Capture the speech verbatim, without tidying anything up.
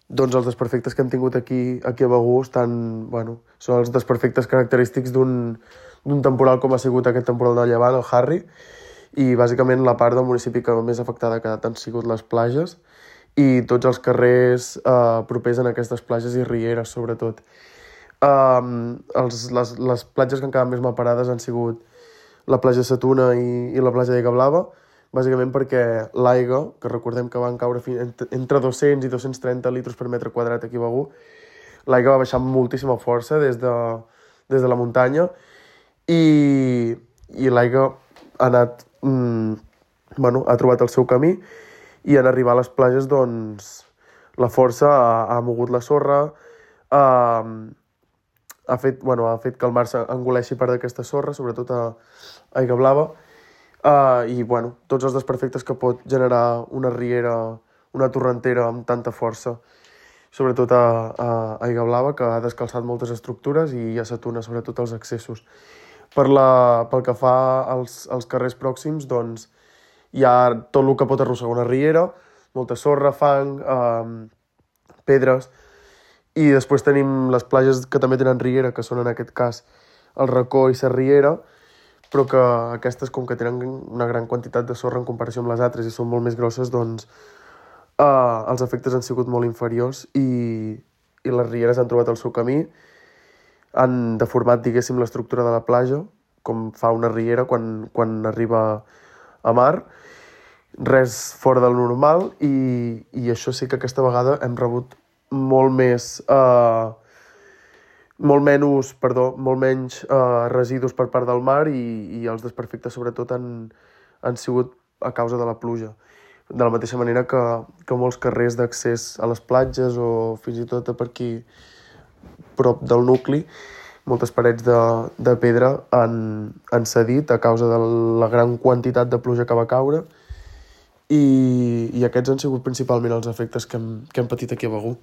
doncs els desperfectes que hem tingut aquí, aquí a Begur estan, bueno, són els desperfectes característics d'un d'un temporal com ha sigut aquest temporal de llevant, el Harry, i bàsicament la part del municipi que més afectada ha quedat han sigut les platges i tots els carrers eh, propers en aquestes platges i rieres, sobretot. Um, els, les, les platges que han quedat més malparades han sigut la platja de Sa Tuna i, i la platja d'Aigua Blava, bàsicament perquè l'aigua, que recordem que van caure fins, entre dos-cents i dos-cents trenta litres per metre quadrat aquí a Begur, l'aigua va baixar amb moltíssima força des de, des de la muntanya i, i l'aigua ha anat, mm, bueno, ha trobat el seu camí i en arribar a les platges, doncs, la força ha, ha mogut la sorra, ha, ha, fet, bueno, ha fet que el mar s'engoleixi part d'aquesta sorra, sobretot a Aigua Blava, uh, i bueno, tots els desperfectes que pot generar una riera, una torrentera amb tanta força, sobretot a, a Aigua Blava, que ha descalçat moltes estructures, i a Sa Tuna, sobretot els accessos. Per la, pel que fa als, als carrers pròxims, doncs, hi ha tot el que pot arrossegar una riera, molta sorra, fang, eh, pedres, i després tenim les platges que també tenen riera, que són en aquest cas el Racó i la Riera, però que aquestes, com que tenen una gran quantitat de sorra en comparació amb les altres i són molt més grosses, doncs eh, els efectes han sigut molt inferiors i, i les rieres han trobat el seu camí, han deformat, diguéssim, l'estructura de la platja, com fa una riera quan, quan arriba a mar, res fora del normal, i, i això sí que aquesta vegada hem rebut molt més, eh, molt menys, perdó, molt menys eh, residus per part del mar i, i els desperfectes sobretot han, han sigut a causa de la pluja. De la mateixa manera que, que molts carrers d'accés a les platges o fins i tot per aquí prop del nucli, moltes parets de, de pedra han, han cedit a causa de la gran quantitat de pluja que va caure i, i aquests han sigut principalment els efectes que hem, que hem patit aquí a Begur.